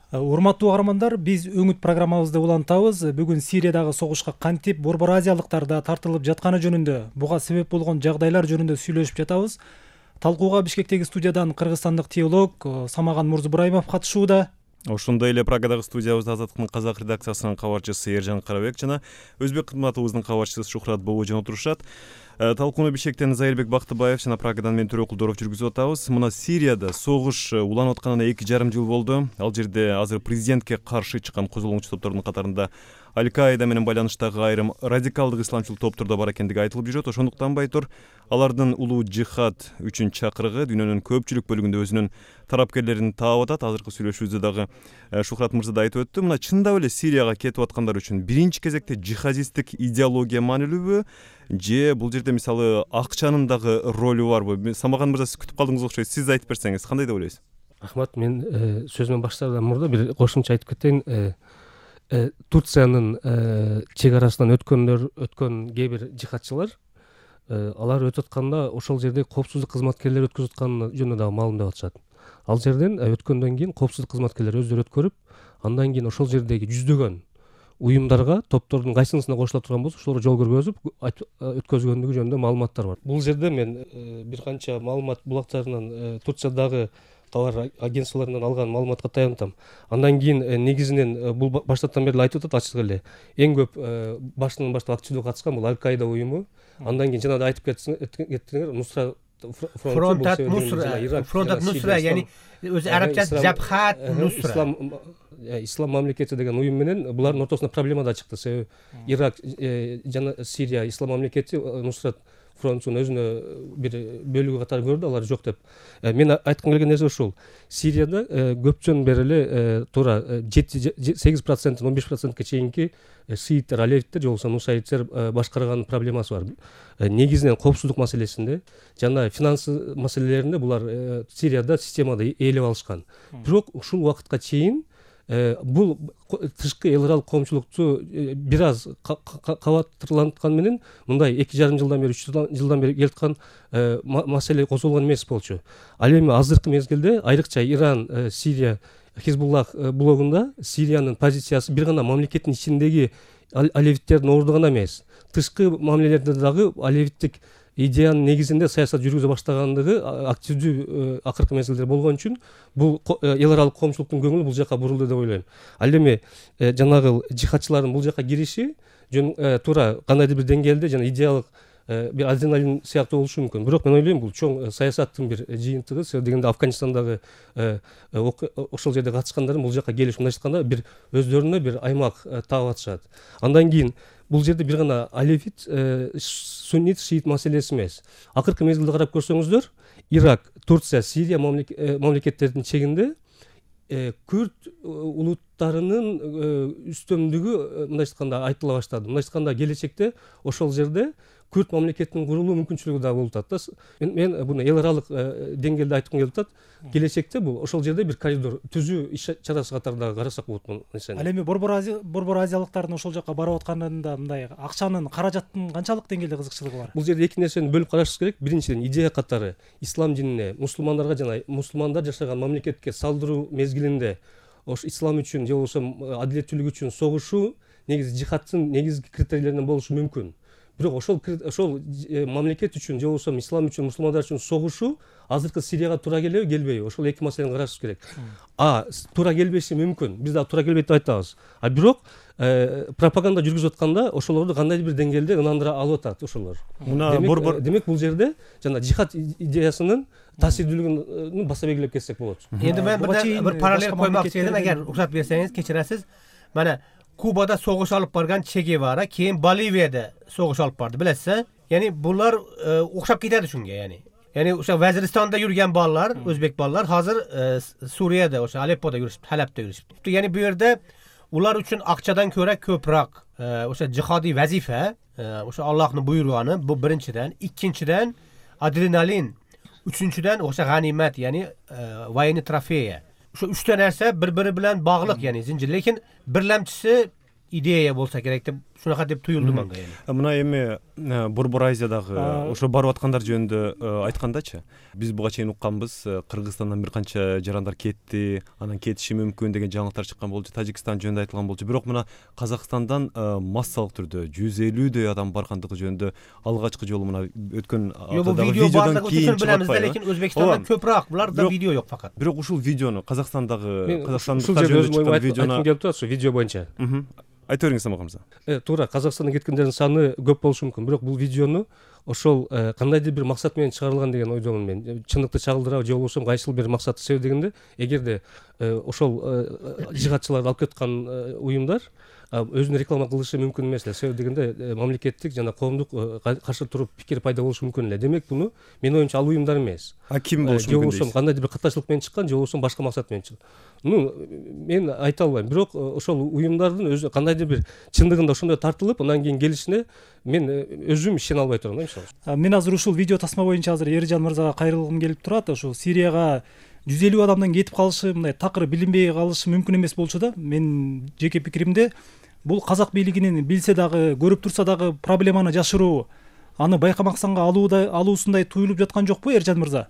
Урматтуу каармандар, биз Өңүт программабызды улантабыз. Бүгүн Сириядагы согушка кантип борбор азиялыктар да тартылып жатканы жөнүндө, буга себеп болгон жагдайлар жөнүндө сүйлөшүп жатабыз. Талкууга Бишкектеги студиядан кыргызстандык теолог Самаган Мурзубраимов катышууда. Ошондой эле Праgadагы студиябызда Азаттыктын казак редакциясынын кабарчысы Эржан Карабек жана Өзбек кызматыбыздын кабарчысы Шухрат Бобожон отурушат. Талкууну Бишкектен Зайырбек Бактыбаев жана Прагадан мен Төрөкулдоров жүргүзүп атабыз. Мына Сирияда согуш уланып атканына 2,5 жыл болду. Ал жерде азыр президентке каршы чыккан козголгончу топтордун катарында Аль-Каида менен байланыштагы айрым радикалдык исламчыл топтор да бар экендиги айтылып жүрөт. Ошондуктан байтур алардын улуу жихад үчүн чакырыгы дүйнөнүн көпчүлүк бөлүгүндө өзүнүн тарапкерлерин таап атат. Азыркы сүйлөшүүбүздө дагы Шухрат мырза да айтып өттү. Мына чындап эле Сирияга кетип аткандар үчүн биринчи кезекте жихадисттик идеология маанилүүбү же бул жерде мисалы акчанын дагы ролу барбы? Самаган мырза, сиз күтүп калдыңыз окшойт. Сиз айтып берсеңиз кандай деп ойлойсуз? Рахмат. Мен сөзүмөн баштаардан мурда бир кошумча айтып кетейин. Турциянын чек арасынан өткөн кээ бир жихадчылар алар өтүп атканда ошол жерде коопсуздук кызматкерлери өткөзүп атканы жөнүндө дагы маалымдап атышат. Ал жерден өткөндөн кийин коопсуздук кызматкерлери өздөрү өткөрүп, андан кийин ошол жердеги жүздөгөн уюмдарга, топтордун кайсынысына кошула турган болсо ошолорго жол көргөзүп өткөзгөндүгү жөнүндө маалыматтар бар. Бул жерде мен бир канча маалымат булактарынан Турциядагы товар агентстволорунан алган маалыматка таянтам. Андан кийин негизинен бул баштардан бери айтып атат ачык эле. Эң көп башынан баштап активдүү катышкан бул Аль-Каида уюму. Андан кийин жана да айтып кеттиңер, Нусра Фронтат Нусра, яни өзү арабчасы Жабхат Нусра. Ислам мамлекети деген уюм менен булардын ортосунда проблема да чыкты. Себеби Ирак жана Сирия ислам мамлекети Нусрат фронтунун өзүнө бир бөлүгү катары көрдү, алар жок деп. Мен айткым келген нерсе ушул. Сирияда көптөн бери эле туура 8%, 15%ке чейинки шииттер, алевиттер же болбосо нусайиттер башкарган проблемасы бар. Негизинен коопсуздук маселесинде жана финансы маселелеринде булар Сирияда системада ээлеп алышкан. Бирок ушул убакытка чейин бул тышкы эл аралык коомчулукту бир аз кабаттырланткан менен мындай 2,5 жылдан бери 3 жылдан бери келаткан маселе козголгон эмес болчу. Ал эми азыркы мезгилде айрыкча Иран, Сирия, Хизбуллах блогунда Сириянын позициясы бир гана мамлекеттин ичиндеги алевиттердин орду гана эмес, тышкы мамилелерде дагы алевиттик идеянын негизинде саясат жүргүзө баштагандыгы активдүү акыркы мезгилдер болгон үчүн бул эл аралык коомчулуктун көңүлү бул жака бурулду деп ойлойм. Ал эми жанагы жихадчылардын бул жака кириши туура кандайдыр бир деңгээлде жана идеялык бир адреналин сыяктуу болушу мүмкүн. Бирок мен ойлойм бул чоң саясаттын бир жыйынтыгы. Себеби дегенде Афганистандагы ошол жерде катышкандардын бул жака келиши мындайча айтканда бир өздөрүнө бир аймак таап атышат. Андан кийин бул жерде бир гана алевит, суннит, шиит маселеси эмес. Акыркы мезгилде карап көрсөңүздөр, Ирак, Турция, Сирия мамлекеттердин чегинде күрд улуттарынын үстөмдүгү мындайча айтканда айтыла баштады. Мындайча айтканда келечекте ошол жерде күрд мамлекетинин курулуу мүмкүнчүлүгү да болуп атат. Мен буну эл аралык деңгээлде айткым келип атат. Келечекте бул ошол жерде бир коридор түзүү иш чарасы катары дагы карасак болот бул нерсени. Ал эми борбор азиялыктардын ошол жака барып атканында мындай акчанын, каражаттын канчалык деңгээлде кызыкчылыгы бар? Бул жерде эки нерсени бөлүп карашыбыз керек. Биринчиден идея катары ислам динине, мусулмандарга жана мусулмандар жашаган мамлекетке салдыруу мезгилинде ош ислам үчүн же болбосо адилеттүүлүк үчүн согушуу негизи жихадтын негизги критерийлеринен болушу мүмкүн. Бирок ошол мамлекет үчүн же болбосо ислам үчүн, мусулмандар үчүн согушуу азыркы Сирияга туура келеби, келбейби? Ошол эки маселени карашыбыз керек. Туура келбеши мүмкүн. Биз дагы туура келбейт деп айтабыз. Бирок пропаганда жүргүзүп атканда ошолорду кандайдыр бир деңгээлде ынандыра алып атат ошолор. Демек бул жерде жана жихад идеясынын таасирдүүлүгүн баса белгилеп кетсек болот. Эndi мен бир параллель коймокчу едим, эгер уруксат берсеңиз, кечиресиз. Мана Кубада согуш алып барган Че Гевара, кийин Боливияда согуш алып барды, билесиз? Яни булар окшоп кетет ушунга, яни ошо Вазиристанда жүргөн балдар, өзбек балдар азыр Сурияда, ошо Алеппода жүрүшүп, Халапта жүрүшүп. Яни бу жерде улар үчүн акчадан көрө көбүрөөк ошо жихади вазифа, ошо Аллахтын буйруганы, бу биринчиден, экинчиден адреналин, үчүнчүдөн ошо ганимат, яни военный трофея. Ошо үчтө нерсе бири-бири менен баглык, яни зинжир. Лекин бирлемчиси идея болса керек деп ушунака деп туюлду мага эми. Мына эми Борбор Азиядагы ошо барып аткандар жөнүндө айткандачы, биз буга чейин укканбыз, Кыргызстандан бир канча жарандар кетти, анан кетиши мүмкүн деген жаңылыктар чыккан болчу, Тажикстан жөнүндө айтылган болчу. Бирок мына Казакстандан массалык түрдө 150дөй адам баргандыгы жөнүндө алгачкы жолу мына өткөн аптадагы видеодон кийин билебиз да, лекин Өзбекстандан көпүрөөк буларда видео жок факат. Бирок ушул видеону Казакстандагы Казакстандыктар жөнүндө айткым келип турат, ошо видео боюнча. Айта бериңиз Самат мырза. Туура, Казакстандан кеткендердин саны көп болушу мүмкүн, бирок бул видеону ошол кандайдыр бир максат менен чыгарылган деген ойдомун мен. Чындыкты чагылдырабы же болбосо кайсыл бир максатты себеп дегенде, эгерде ошол жыгатчыларды алып кеткан уюмдар өзүнө реклама кылышы мүмкүн эмес эле. Себеп дегенде мамлекеттик жана коомдук каршы туруп пикир пайда болушу мүмкүн эле. Демек буну менин оюмча ал уюмдар эмес. Ким болушу мүмкүн? Же болбосо кандайдыр бир катачылык менен чыккан, же болбосо башка максат менен чыккан. Мен айта албайм, бирок ошол уюмдардын өзү кандайдыр бир чындыгында ошондой тартылып, андан кийин келишине мен өзүм ишене албай турам да, мисалы. Мен азыр ушул видео тасма боюнча азыр Эржан мырзага кайрылгым келип турат. Ошо Сирияга 150 адамдан кетип калышы, мындай такыр билинбей калышы мүмкүн эмес болчу да. Мен жеке пикиримде бул казак бийлигинин билсе дагы, көрүп турса дагы проблеманы жашыруу, аны байкамаксанга алуусундай туюлуп жаткан жокпу, Эржан мырза?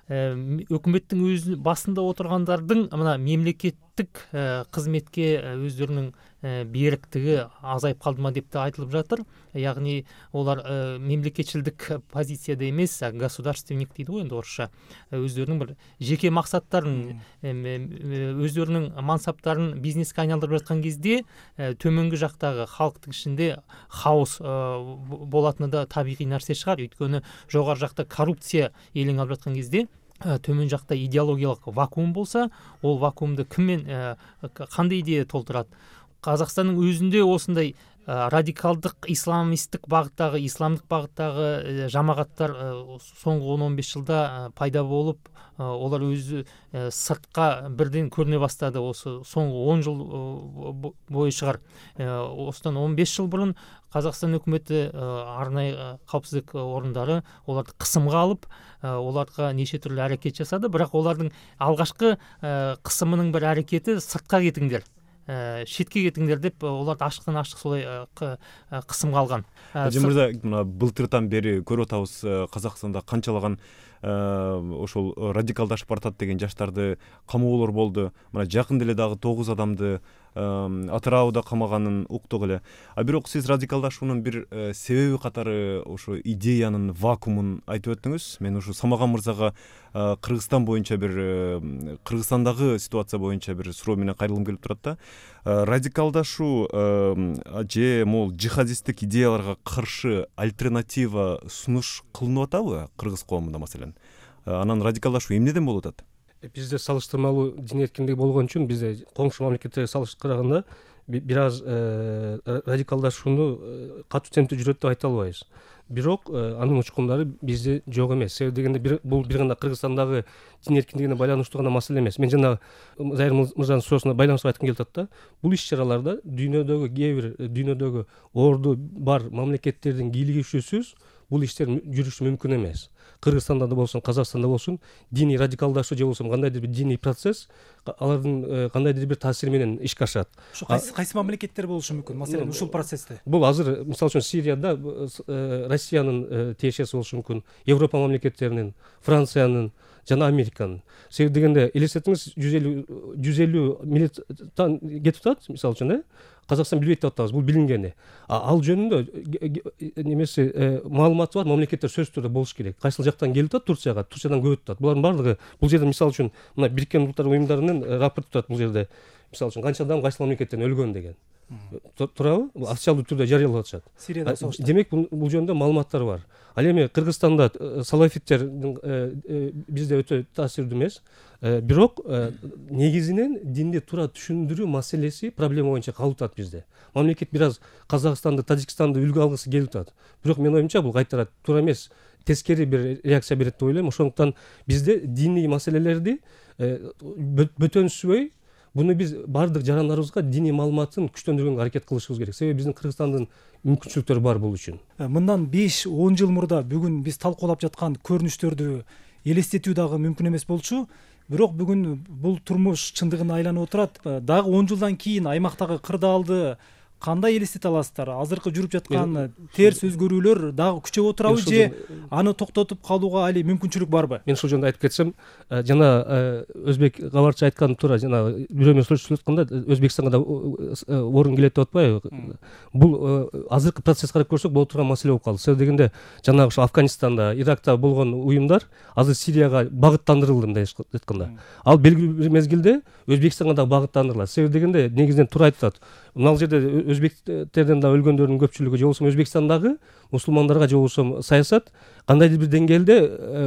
Өкмөттүн өз басында отургандардын мына мемлекеттик кызметке өздөрүнүн бериктиги азайып калдыма деп да айтылып жатыр. Ягни олар мемлекетчилдик позицияда эмес, государственник дейт го энди орусча. Өздөрүнүн бир жеке максаттарын, өздөрүнүн мансаптарын бизнеске айналдырып жаткан кезде төмөнгү жактагы халктын ичинде хаос болатыны да табигый нерсе чыгар. Өйткөнү жогору жакта коррупция элең алып жаткан кезде төмөн жакта идеологиялык вакуум болсо, ол вакуумду киммен кандай идея толтурат? Казакстандын өзүндө осундай радикалдык исламисттик багыттагы, исламдык багыттагы жамааттар соңку 10-15 жылда пайда болуп, олар өзү сыртка бирден көрүнө баштады. Осы соңку 10 жыл бою чыгар. Осудан 15 жыл бурун Казакстан өкмөтү арнайы каапсыздык орундары оларды кысымга алып, оларга нече түрлүү аракет жасады, бирок олардын алгачкы кысымынын бир аракети сыртка кетиңдер, шетке кетиңдер деп оларды ачыктан ачык солай кысымга алган. Мырза, мына былтыртан бери көрүп атабыз, Казакстанда канчалаган ошол радикалдашып баратат деген жаштарды камоолор болду. Мына жакын деле дагы 9 адамды Атырауда камаганын уктук эле. Бирок сиз радикалдашуунун бир себеби катары ошо идеянын вакуумун айтып өттүңүз. Мен ушу Самаган мырзага Кыргызстан боюнча бир Кыргызстандагы ситуация боюнча бир суроо менен кайрылгым келип турат да. Радикалдашуу же могул жихадисттик идеяларга каршы альтернатива сунуш кылынып атабы Кыргыз коомунда маселен? Анан радикалдашуу эмнеден болуп атат? Бизде салыштырмалуу дин эркиндиги болгон үчүн бизде коңшу мамлекеттерге салыштырганда бир аз радикалдашууну катуу темпте жүрөт деп айта албайбыз. Бирок анын учкундары бизде жок эмес. Себеп дегенде бул бир гана Кыргызстандагы дин эркиндигине байланыштуу гана маселе эмес. Мен жана Зайыр мырзанын суроосуна байланыштырып айткым келип атат да. Бул иш-чараларда дүйнөдөгү дүйнөдөгү орду бар мамлекеттердин кийлигишүүсүз бул иштер жүрүшү мүмкүн эмес. Кыргызстанда да болсун, Казакстанда болсун, диний радикалдашуу же болбосо кандайдыр бир диний процесс алардын кандайдыр бир таасири менен ишке ашат. Ошо кайсы мамлекеттер болушу мүмкүн? Маселен, ушул процессте. Бул азыр мисалы үчүн Сирияда Россиянын тиешеси болушу мүмкүн, Европа мамлекеттеринин, Франциянын жана Американын. Себеп дегенде элестетиңиз, 150 миллиондон кетип атат, мисалы үчүн, Казакстан билбейт деп атабыз, бул билингени. Ал жөнүндө немеси маалыматы бар мамлекеттер сөзсүз түрдө болуш керек. Кайсыл жактан келип атат Турцияга, Турциядан көп атат. Булардын баардыгы бул жерде мисалы үчүн мына Бириккен Улуттар уюмдарынын рапорт турат бул жерде. Мисалы үчүн канча адам кайсы мамлекеттен өлгөн деген. Турабы? Бул официалдуу түрдө жарыялап атышат. Сирияда согушта. Демек бул жөнүндө маалыматтар бар. Ал эми Кыргызстанда салафиттер бизде өтө таасирдүү эмес. Бирок негизинен динди туура түшүндүрүү маселеси проблема боюнча калып атат бизде. Мамлекет бир аз Казакстанды, Тажикстанды үлгү алгысы келип атат. Бирок менин оюмча бул кайтара туура эмес, тескери бир реакция берет деп ойлойм. Ошондуктан бизде диний маселелерди бөтөнсүзбөй буну биз баардык жарандарыбызга диний маалыматын күчтөндүргөнгө аракет кылышыбыз керек. Себеби биздин Кыргызстандын мүмкүнчүлүктөрү бар бул үчүн. Мындан 5-10 жыл мурда бүгүн биз талкуулап жаткан көрүнүштөрдү элестетүү дагы мүмкүн эмес болчу. Бирок бүгүн бул турмуш чындыгына айланып отурат. Дагы 10 жылдан кийин аймактагы кырдаалды кандай элестете аласыздар? Азыркы жүрүп жаткан терс өзгөрүүлөр дагы күчөп отурабы же аны токтотуп калууга али мүмкүнчүлүк барбы? Мен ушул жөнүндө айтып кетсем, жана өзбек кабарчы айтканы туура, жана бирөө менен сүйлөшүп атканда Өзбекстанга да орун келет деп атпайбы? Бул азыркы процесс карап көрсөк боло турган маселе болуп калды. Себеби дегенде жанагы ошо Афганистанда, Иракта болгон уюмдар азыр Сирияга багыттандырылды мындай айтканда. Ал белгилүү бир мезгилде Өзбекстанга да багыттандырылат. Себеби дегенде негизинен туура айтат. Мына жерде өзбектерден да өлгөндөрдүн көпчүлүгү же болбосо Өзбекстандагы мусулмандарга же болбосо саясат кандайдыр бир деңгээлде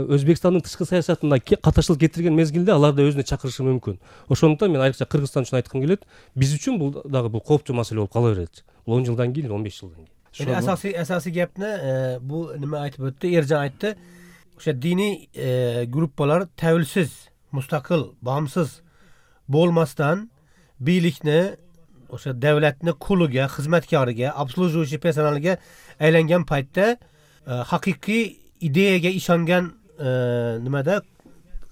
Өзбекстандын тышкы саясатына катышчылык кетирген мезгилде аларды өзүнө чакырышы мүмкүн. Ошондуктан мен айрыкча Кыргызстан үчүн айткым келет. Биз үчүн бул дагы бул кооптуу маселе болуп кала берет. Бул 10 жылдан кийин, 15 жылдан кийин. Асасий гепни бул неме айтып өттү, Эржан айтты. Ошо диний группалар тәвелсиз, мустакыл, баамсыз болмастан бийликни ошо давлатны кулуга, хизматкарыга, обслуживающий персоналга айланган пайтта хакыйкый идеяга ишанган немеде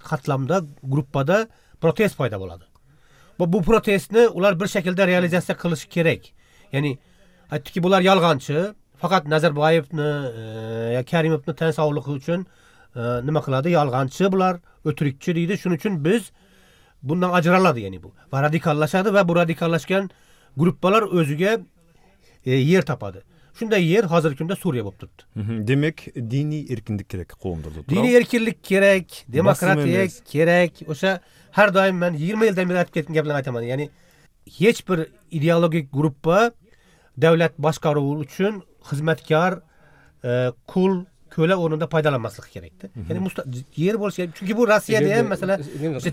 катламда, группада протест пайда болот. Бу протестни улар бир шекилде реализация кылышы керек. Яни айттыки булар ялганчы, факат Назарбаевни, Каримовни тен саулыгы үчүн неме кылады, ялганчы булар, өтүрүкчү дейди. Шуның үчүн биз bundan ajraladi, yani bu. Va radikallaşadı ve bu radikallaşkan gruppalar özüge yer tapadı. Şunday yer hazır günde Suriye bolup turdu. Demek dini erkinlik kerek коомдордо. Dini erkinlik kerek, demokratiya kerek. Oşa her daim ben 20 yıldan beri aytıp ketкен gaplarni aytaman. Yani hiç bir ideologik gruppa devlet başkaruvu üçün hizmetkar, kul, köle ornunda paydalanmaslık gerekti. Yani yer bolsa, çünkü bu Rossiyada ham mesela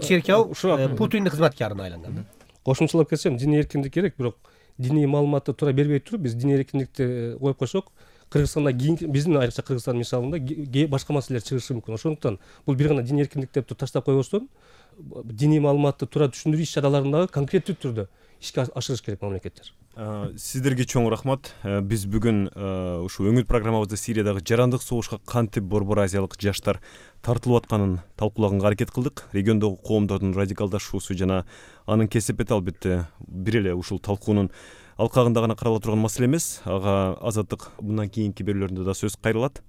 çerkev Putin'in hizmetkarına aylangan. Кошумчалап кетсем, диний эркиндик керек, бирок диний маалыматты туура бербей туруп, биз диний эркиндикти коюп койсок, Кыргызстанда биздин айрыкча Кыргызстан мисалында башка маселелер чыгышы мүмкүн. Ошондуктан бул бир гана диний эркиндик деп таштап койбостон, диний маалыматты туура түшүндүрүү иш-чараларындагы конкреттүү түрдө ишке ашырыш керек мамлекеттер. Сиздерге чоң рахмат. Биз бүгүн ушул өңүт программабызда Сириядагы жарандык согушка кантип Борбор Азиялык жаштар тартылып атканын талкуулаганга аракет кылдык. Региондогу коомдордун радикалдашуусу жана анын кесепети албетте бир эле ушул талкуунун алкагында гана карала турган маселе эмес. Ага Азаттык мындан кийинки берүүлөрүндө да сөз кайрылат.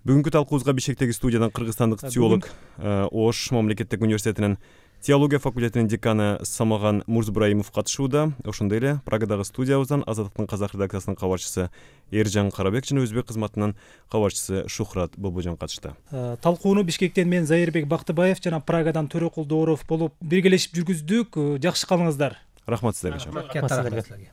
Бүгүнкү талкуубузга Бишкектеги студиядан кыргызстандык теолог, Ош мамлекеттик университетинин теология факультетинин деканы Самаган Мурзбраимов катышууда. Ошондой эле Прагадагы студиябыздан Азаттыктын казак редакциясынын кабарчысы Эржан Карабек жана өзбек кызматынын кабарчысы Шухрат Бобожон катышты. Талкууну Бишкектен мен Зайырбек Бактыбаев жана Прагадан Төрөкул Дооров болуп биргелешип жүргүздүк. Жакшы калыңыздар. Рахмат сиздерге.